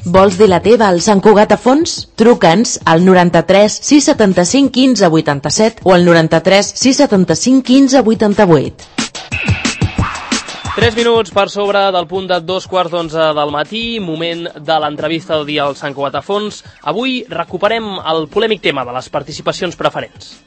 Vols dir la teva al Sant Cugat a fons? Truca'ns al 93 675 15 87 o al 93 675 15 88. 3 minuts per sobre del punt de 2:15 del matí, moment de l'entrevista del dia al Sant Cugat a fons. Avui recuperem el polèmic tema de les participacions preferents.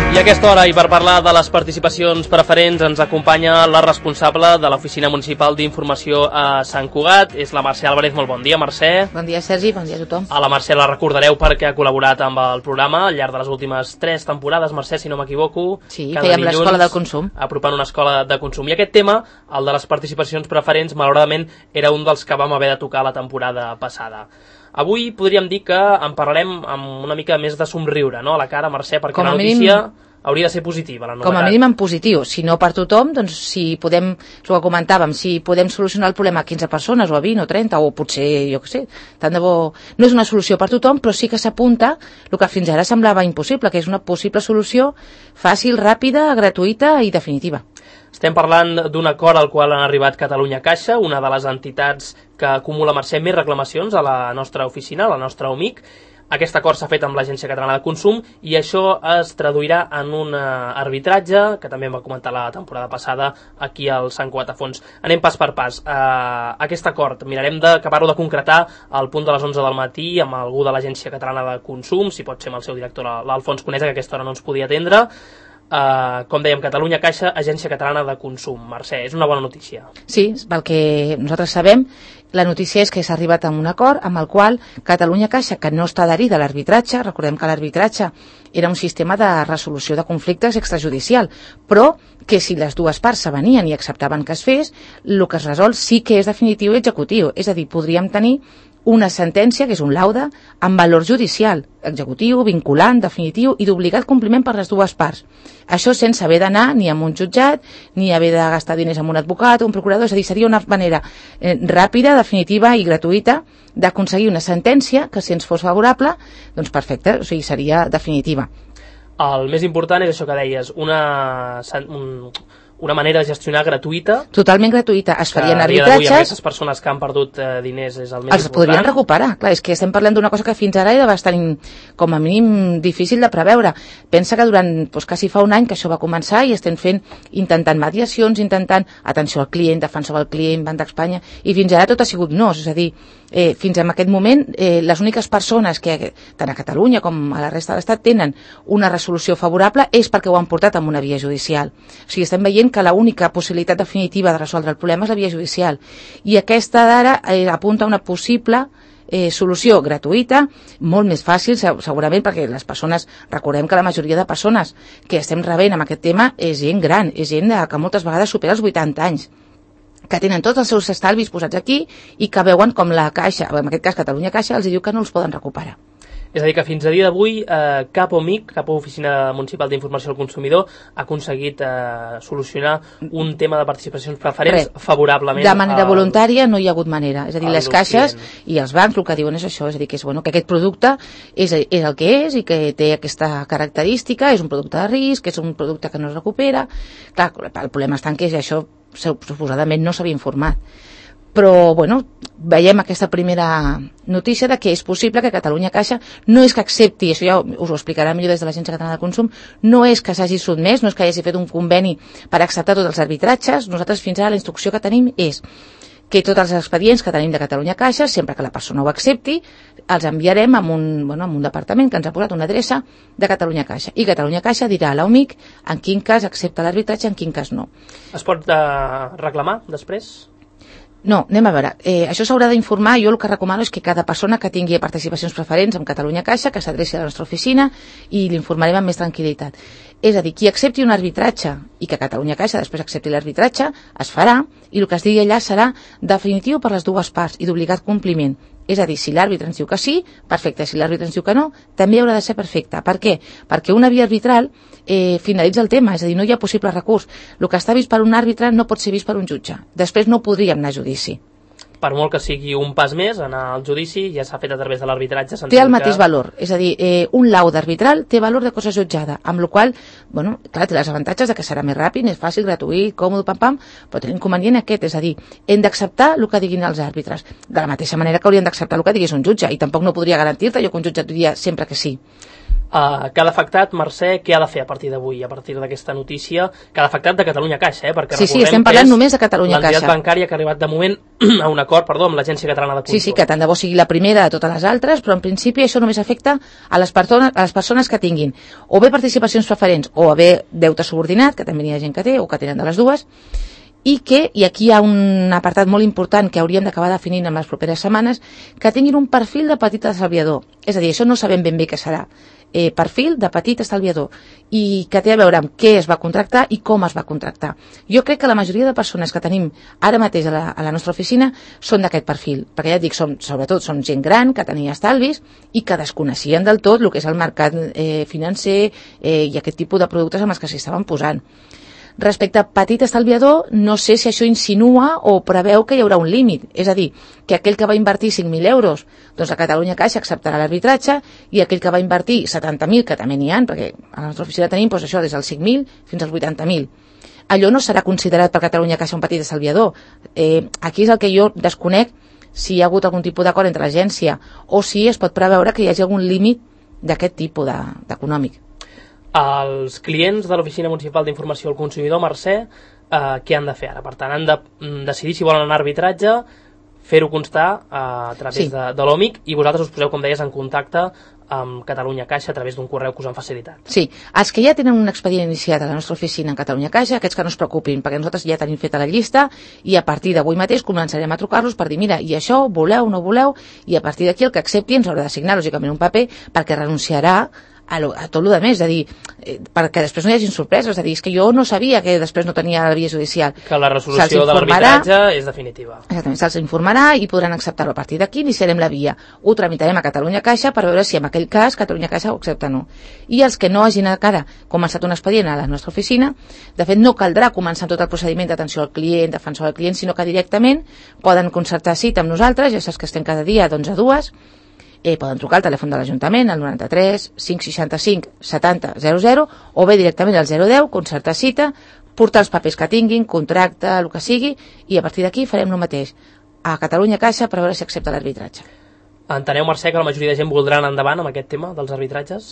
I a aquesta hora, i per parlar de les participacions preferents, ens acompanya la responsable de l'Oficina Municipal d'Informació a Sant Cugat, és la Mercè Álvarez. Molt bon dia, Mercè. Bon dia, Sergi, bon dia a tothom. A la Mercè la recordareu perquè ha col·laborat amb el programa al llarg de les últimes 3 temporades, Mercè, si no m'equivoco. Sí, fèiem l'Escola del Consum. Apropant una escola de consum. I aquest tema, el de les participacions preferents, malauradament, era un dels que vam haver de tocar la temporada passada. Avui podríem dir que en parlarem amb una mica més de somriure, no?, a la cara, Mercè, perquè la notícia hauria de ser positiva, la novetat. Com a mínim en positiu, si no per tothom, doncs si podem, el que comentàvem, si podem solucionar el problema a 15 persones o a 20 o 30 o potser, jo què sé, tant de bo, no és una solució per tothom, però sí que s'apunta el que fins ara semblava impossible, que és una possible solució fàcil, ràpida, gratuïta i definitiva. Estem parlant d'un acord al qual han arribat Catalunya Caixa, una de les entitats que acumula, Mercè, més reclamacions a la nostra oficina, a la nostra OMIC. Aquest acord s'ha fet amb l'Agència Catalana de Consum i això es traduirà en un arbitratge, que també em va comentar la temporada passada aquí al Sant Cugat a fons. Anem pas per pas. Aquest acord mirarem d'acabar-ho de concretar al punt de les 11 del matí amb algú de l'Agència Catalana de Consum, si pot ser amb el seu director, l'Alfons Conesa, que a aquesta hora no ens podia atendre. Com dèiem, Catalunya Caixa, Agència Catalana de Consum. Mercè, és una bona notícia. Sí, pel que nosaltres sabem, la notícia és que s'ha arribat a un acord amb el qual Catalunya Caixa, que no està adherida a l'arbitratge, recordem que l'arbitratge era un sistema de resolució de conflictes extrajudicial, però que si les dues parts s'avenien i acceptaven que es fes, el que es resol sí que és definitiu i executiu, és a dir, podríem tenir una sentència, que és un laude, amb valor judicial, executiu, vinculant, definitiu i d'obligat compliment per les dues parts. Això sense haver d'anar ni a un jutjat, ni haver de gastar diners amb un advocat o un procurador, és a dir, seria una manera ràpida, definitiva i gratuïta d'aconseguir una sentència que, si ens fos favorable, doncs perfecte, o sigui, seria definitiva. El més important és això que deies, una manera de gestionar gratuïta. Totalment gratuïta. Es farien arbitratges. Aquestes persones que han perdut diners és el més important. Els podrien recuperar. Clar, és que estem parlant d'una cosa que fins ara era bastant, com a mínim, difícil de preveure. Pensa que durant, quasi fa un any que això va començar i estem intentant mediacions, intentant atenció al client, defensa del client, Banc d'Espanya, i fins ara tot ha sigut no. És a dir, fins a aquest moment, les úniques persones que, tant a Catalunya com a la resta de l'Estat, tenen una resolució favorable és perquè ho han portat amb una via judicial. O sigui, estem veient que l'única possibilitat definitiva de resoldre el problema és la via judicial. I aquesta d'ara apunta a una possible solució gratuïta, molt més fàcil segurament, perquè les persones, recordem que la majoria de persones que estem rebent amb aquest tema és gent gran, és gent que moltes vegades supera els 80 anys, que tenen tots els seus estalvis posats aquí i que veuen com la Caixa, en aquest cas Catalunya Caixa, els diu que no els poden recuperar. És a dir, que fins a dia d'avui cap OMIC, cap Oficina Municipal d'Informació al Consumidor, ha aconseguit solucionar un tema de participacions preferents favorablement. De manera voluntària no hi ha hagut manera. És a dir, les caixes i els bancs el que diuen és això, és a dir, que aquest producte és el que és i que té aquesta característica, és un producte de risc, és un producte que no es recupera. Clar, el problema està en que això suposadament no s'havia informat. Però, veiem aquesta primera notícia de que és possible que Catalunya Caixa no és que accepti, això ja us ho explicarà millor des de l'Agència Catalana de Consum, no és que s'hagi sotmès, no és que hagi fet un conveni per acceptar tots els arbitratges. Nosaltres fins ara la instrucció que tenim és que tots els expedients que tenim de Catalunya Caixa, sempre que la persona ho accepti, els enviarem a un departament que ens ha posat una adreça de Catalunya Caixa. I Catalunya Caixa dirà a l'OMIC en quin cas accepta l'arbitratge, en quin cas no. Es pot reclamar després? No, anem a veure. Això s'haurà d'informar. Jo el que recomano és que cada persona que tingui participacions preferents amb Catalunya Caixa, que s'adreci a la nostra oficina i l'informarem amb més tranquil·litat. És a dir, qui accepti un arbitratge i que Catalunya Caixa després accepti l'arbitratge, es farà, i el que es digui allà serà definitiu per les dues parts i d'obligat compliment. És a dir, si l'àrbitre ens diu que sí, perfecte. Si l'àrbitre ens diu que no, també haurà de ser perfecte. Per què? Perquè una via arbitral finalitza el tema, és a dir, no hi ha possible recurs. El que està vist per un àrbitre no pot ser vist per un jutge. Després no podríem anar a judici. per molt que sigui un pas més, anar al judici ja s'ha fet a través de l'arbitratge. Té el mateix valor, és a dir, un laude arbitral té valor de cosa jutjada, amb la qual cosa, clar, té els avantatges de que serà més ràpid, és fàcil, gratuït, còmode, pam, però té l'inconvenient aquest, és a dir, hem d'acceptar el que diguin els àrbitres, de la mateixa manera que haurien d'acceptar el que digués un jutge, i tampoc no podria garantir-te jo que un jutge et diria sempre que sí. Cada afectat, Mercè, què ha de fer a partir d'avui, a partir d'aquesta notícia? Cada afectat de Catalunya Caixa, perquè sí, estem parlant només de Catalunya Caixa. L'entitat bancària que ha arribat de moment a un acord, amb l'Agència Catalana de Consum. Sí, que tant de bo sigui la primera de totes les altres, però en principi això només afecta a les persones que tinguin o bé participacions preferents o bé deute subordinat, que també hi ha gent que té o que tenen de les dues, i aquí hi ha un apartat molt important que hauríem d'acabar definint en les properes setmanes, que tinguin un perfil de petit estalviador. És a dir, això no sabem ben bé què serà. Perfil de petit estalviador, i que té a veure amb què es va contractar i com es va contractar. Jo crec que la majoria de persones que tenim ara mateix a la nostra oficina són d'aquest perfil, perquè ja et dic, sobretot són gent gran que tenia estalvis i que desconeixien del tot el que és el mercat financer i aquest tipus de productes amb els que s'hi estaven posant. Respecte a petit estalviador, no sé si això insinua o preveu que hi haurà un límit. És a dir, que aquell que va invertir 5.000 euros, doncs a Catalunya Caixa acceptarà l'arbitratge, i aquell que va invertir 70.000, que també n'hi ha, perquè a la nostra oficina tenim doncs, això des dels 5.000 fins als 80.000. Allò no serà considerat per Catalunya Caixa un petit estalviador. Aquí és el que jo desconec, si hi ha hagut algun tipus d'acord entre l'agència o si es pot preveure que hi hagi algun límit d'aquest tipus d'econòmic. Els clients de l'Oficina Municipal d'Informació al Consumidor, Mercè, què han de fer ara? Per tant, han de decidir si volen anar a arbitratge, fer-ho constar a través de l'OMIC, i vosaltres us poseu, com deies, en contacte amb Catalunya Caixa a través d'un correu que us han facilitat. Sí, els que ja tenen un expedient iniciat a la nostra oficina en Catalunya Caixa, aquests que no es preocupin, perquè nosaltres ja tenim feta la llista i a partir d'avui mateix començarem a trucar-los per dir, mira, i això, voleu, no voleu, i a partir d'aquí el que accepti ens haurà de signar, lògicament, un paper perquè renunciarà a tot el més, és a dir, perquè després no hi hagin sorpreses, és a dir, és que jo no sabia que després no tenia la via judicial. Que la resolució de l'arbitratge és definitiva. Exactament, se'ls informarà i podran acceptar-ho a partir d'aquí, iniciarem la via. Ho tramitarem a Catalunya Caixa per veure si en aquell cas Catalunya Caixa ho accepta o no. I els que no hagin encara començat un expedient a la nostra oficina, de fet no caldrà començar tot el procediment d'atenció al client, defensor al client, sinó que directament poden concertar cita amb nosaltres, ja saps que estem cada dia d'11 a 2, poden trucar al telèfon de l'Ajuntament al 93 565 70 00 o bé directament al 010, concertar cita, portar els papers que tinguin, contracte, el que sigui, i a partir d'aquí farem el mateix a Catalunya Caixa per veure si accepta l'arbitratge. Enteneu, Mercè, que la majoria de gent voldrà anar endavant amb aquest tema dels arbitratges?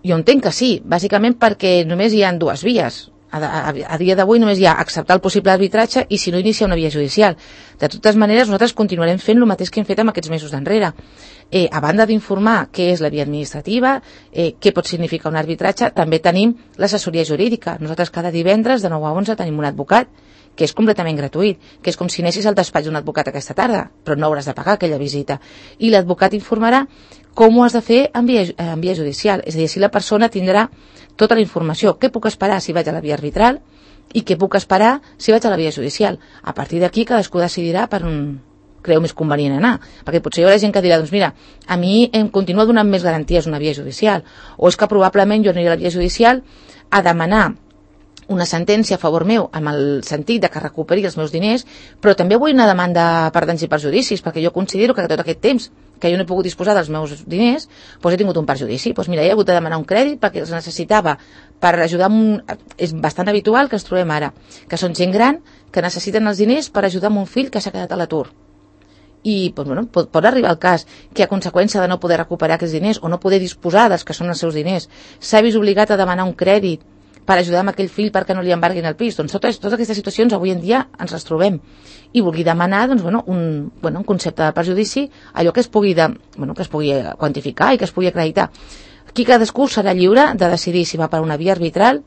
Jo entenc que sí, bàsicament perquè només hi ha dues vies. A dia d'avui només hi ha acceptar el possible arbitratge i si no iniciar una via judicial. De totes maneres, nosaltres continuarem fent el mateix que hem fet amb aquests mesos d'enrere. A banda d'informar què és la via administrativa, què pot significar un arbitratge, també tenim l'assessoria jurídica. Nosaltres cada divendres de 9 a 11 tenim un advocat que és completament gratuït, que és com si anessis al despatx d'un advocat aquesta tarda, però no hauràs de pagar aquella visita. I l'advocat informarà com ho has de fer en via judicial, és a dir, si la persona tindrà tota la informació, què puc esperar si vaig a la via arbitral i què puc esperar si vaig a la via judicial. A partir d'aquí cadascú decidirà per on creu més convenient anar, perquè potser hi haurà gent que dirà, doncs mira, a mi em continua donant més garanties una via judicial, o és que probablement jo aniré a la via judicial a demanar una sentència a favor meu, amb el sentit de que recuperi els meus diners, però també vull una demanda per danys i perjudicis, perquè jo considero que tot aquest temps que jo no he pogut disposar dels meus diners, doncs he tingut un perjudici. Doncs mira, he hagut de demanar un crèdit perquè els necessitava per ajudar És bastant habitual que ens trobem ara, que són gent gran que necessiten els diners per ajudar un fill que s'ha quedat a l'atur. I doncs, bueno, pot arribar el cas que a conseqüència de no poder recuperar aquests diners o no poder disposar dels que són els seus diners, s'ha vist obligat a demanar un crèdit per ajudar amb aquell fill perquè no li embarguin el pis. Doncs totes aquestes situacions avui en dia ens les trobem. I vulgui demanar doncs, un concepte de perjudici, allò que es pugui quantificar i que es pugui acreditar. Aquí cadascú serà lliure de decidir si va per una via arbitral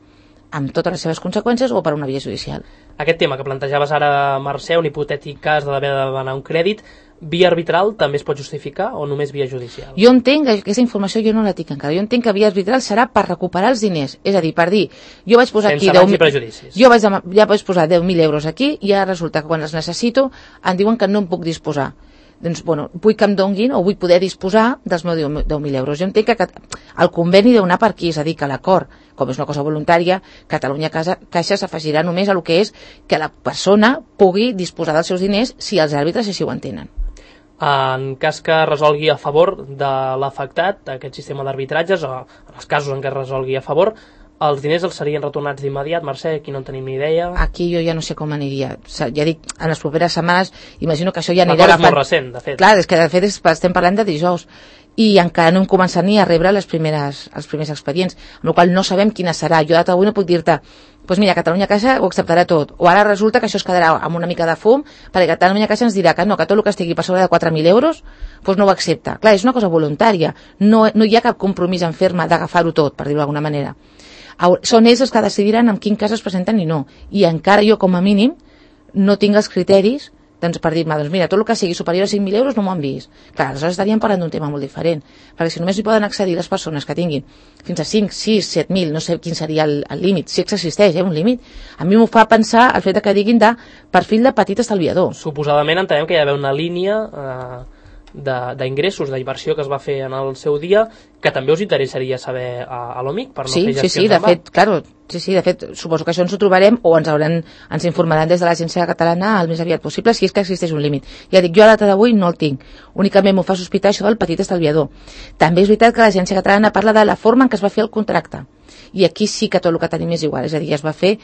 amb totes les seves conseqüències o per una via judicial. Aquest tema que plantejaves ara, Mercè, un hipotètic cas d'haver de demanar un crèdit, via arbitral també es pot justificar o només via judicial? Jo entenc que aquesta informació jo no la tinc encara. Jo entenc que via arbitral serà per recuperar els diners. És a dir, per dir, jo vaig posar aquí 10.000... Jo vaig posar 10.000 euros aquí i ara resulta que quan els necessito em diuen que no em puc disposar. doncs, bueno, vull que em donguin o vull poder disposar dels meus 10.000 euros. Jo entenc que el conveni deu anar per aquí, és a dir, que l'acord, com és una cosa voluntària, Catalunya Caixa s'afegirà només a el que és que la persona pugui disposar dels seus diners si els àrbitres així ho entenen. En cas que resolgui a favor de l'afectat aquest sistema d'arbitratges, o en els casos en què es resolgui a favor, els diners els serien retornats d'immediat? Mercè, aquí no en tenim ni idea. Aquí jo ja no sé com aniria. Ja dic, en les properes setmanes, imagino que això ja anirà agafant... L'acord és molt recent, de fet. Clar, és que de fet estem parlant de dijous i encara no hem començat ni a rebre els primers expedients, amb la qual no sabem quina serà. Jo d'avui no puc dir-te, doncs mira, Catalunya Caixa ho acceptarà tot, o ara resulta que això es quedarà amb una mica de fum, perquè Catalunya Caixa ens dirà que no, que tot el que estigui per sobre de 4.000 euros doncs no ho accepta. Clar, és una cosa voluntària, no hi ha cap compromís en ferma d'agafar-ho tot, per dir-ho d'alguna manera. Són ells els que decidiran en quin cas es presenten i no, i encara jo com a mínim no tinc els criteris doncs, per dir-me, doncs mira, tot el que sigui superior a 5.000 euros no m'ho han vist. Clar, aleshores estaríem parlant d'un tema molt diferent, perquè si només hi poden accedir les persones que tinguin fins a 5, 6, 7.000, no sé quin seria el límit, si existeix un límit, a mi m'ho fa pensar el fet que diguin de perfil de petit estalviador. Suposadament entenem que hi ha d'haver una línia d'ingressos, d'inversió que es va fer en el seu dia, que també us interessaria saber a l'OMIC per no fer gestions de fet, claro, de fet, suposo que això ens ho trobarem o ens informaran des de l'Agència Catalana el més aviat possible si és que existeix un límit. Ja dic, jo a data d'avui no el tinc, únicament m'ho fa sospitar això del petit estalviador. També és veritat que l'Agència Catalana parla de la forma en què es va fer el contracte, i aquí sí que tot el que tenim és igual, és a dir, es va fer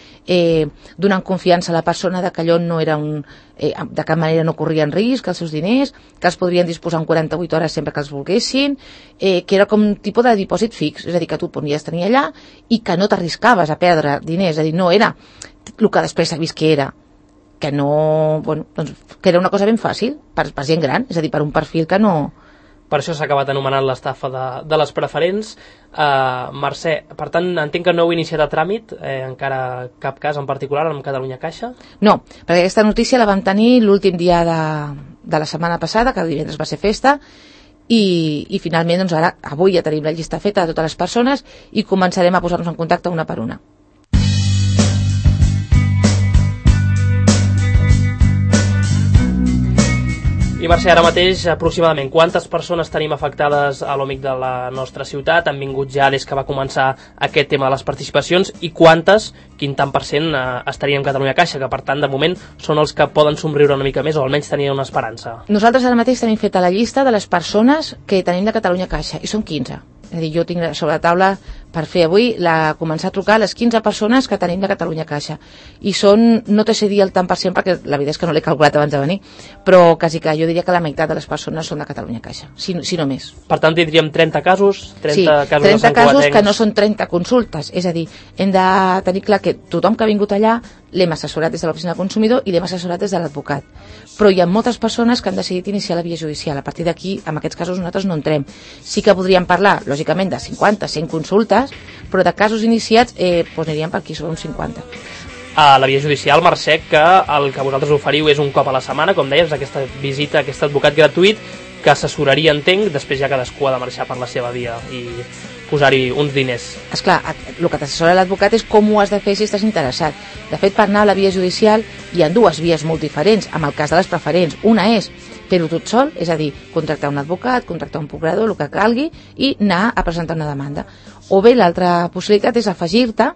donant confiança a la persona de que allò no era de cap manera no corrien risc, els seus diners, que els podrien disposar en 48 hores sempre que els volguessin, que era com un tipus de dipòsit fix, és a dir, que tu et podies tenir allà i que no t'arriscaves a perdre diners, és a dir, no era el que després s'ha vist que era, que no, bueno, doncs, que era una cosa ben fàcil per gent gran, és a dir, per un perfil que no... Per això s'ha acabat anomenant l'estafa de les preferents. Mercè, per tant, entenc que no heu iniciat a tràmit, encara cap cas en particular amb Catalunya Caixa? No, perquè aquesta notícia la vam tenir l'últim dia de la setmana passada, que el divendres va ser festa, i finalment, doncs ara, avui ja tenim la llista feta de totes les persones i començarem a posar-nos en contacte una per una. I Mercè, ara mateix, aproximadament, quantes persones tenim afectades a l'OMIC de la nostra ciutat? Han vingut ja des que va començar aquest tema de les participacions i quantes, quin tant per cent estarien en Catalunya Caixa, que per tant, de moment, són els que poden somriure una mica més o almenys tenien una esperança? Nosaltres ara mateix tenim feta la llista de les persones que tenim de Catalunya Caixa i són 15. És a dir, jo tinc sobre la taula per fer avui, començar a trucar a les 15 persones que tenim de Catalunya Caixa. I són, no te sé dir el tant per cent, perquè la veritat és que no l'he calculat abans de venir, però quasi que jo diria que la meitat de les persones són de Catalunya Caixa, si no més. Per tant, tindríem 30 casos? 30 casos que no són 30 consultes. És a dir, hem de tenir clar que tothom que ha vingut allà l'hem assessorat des de l'oficina del consumidor i l'hem assessorat des de l'advocat. Però hi ha moltes persones que han decidit iniciar la via judicial. A partir d'aquí, en aquests casos, nosaltres no entrem. Sí que podríem parlar, lògicament, de 50, 100 consultes, però de casos iniciats aniríem per aquí sobre uns 50. A la via judicial, Mercè, que el que vosaltres oferiu és un cop a la setmana, com deies, aquesta visita, aquest advocat gratuït, que assessoraria, entenc, després ja cadascú ha de marxar per la seva via i posar-hi uns diners. Esclar, el que t'assessora l'advocat és com ho has de fer si estàs interessat. De fet, per anar a la via judicial hi ha dues vies molt diferents, amb el cas de les preferents. Una és fer-ho tot sol, és a dir, contractar un advocat, contractar un procurador, el que calgui, i anar a presentar una demanda. O bé l'altra possibilitat és afegir-te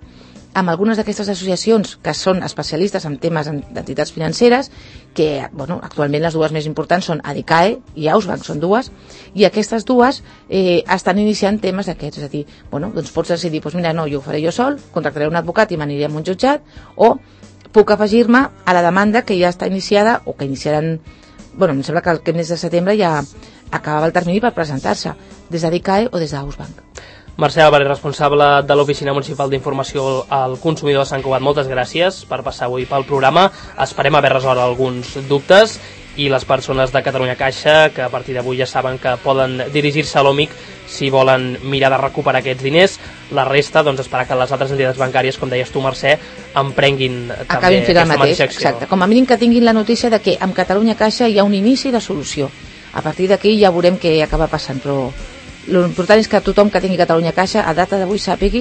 amb algunes d'aquestes associacions que són especialistes en temes d'entitats financeres, que actualment les dues més importants són Adicae i Ausbank, són dues, i aquestes dues estan iniciant temes d'aquests, és a dir, doncs pots decidir, mira, no, jo ho faré jo sol, contractaré un advocat i m'aniré a un jutjat, o puc afegir-me a la demanda que ja està iniciada, o que iniciaran, em sembla que el mes de setembre ja acabava el termini per presentar-se, des d'Adicae o des d'Ausbank. Mercè Álvarez, responsable de l'Oficina Municipal d'Informació al Consumidor de Sant Cugat, moltes gràcies per passar avui pel programa. Esperem haver resolt alguns dubtes i les persones de Catalunya Caixa, que a partir d'avui ja saben que poden dirigir-se a l'OMIC si volen mirar de recuperar aquests diners. La resta, esperar que les altres entitats bancàries, com deies tu, Mercè, emprenguin també aquesta mateixa acció. Exacte. Com a mínim que tinguin la notícia de que amb Catalunya Caixa hi ha un inici de solució. A partir d'aquí ja veurem què acaba passant, però l'important és que tothom que tingui Catalunya Caixa a data d'avui sàpigui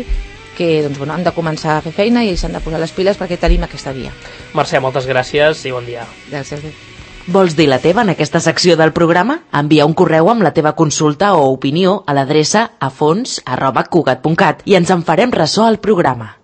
que han de començar a fer feina i s'han de posar les piles perquè tenim aquesta via. Mercè, moltes gràcies i bon dia. Gràcies. Vols dir la teva en aquesta secció del programa? Envia un correu amb la teva consulta o opinió a l'adreça afons@cugat.cat i ens en farem ressò al programa.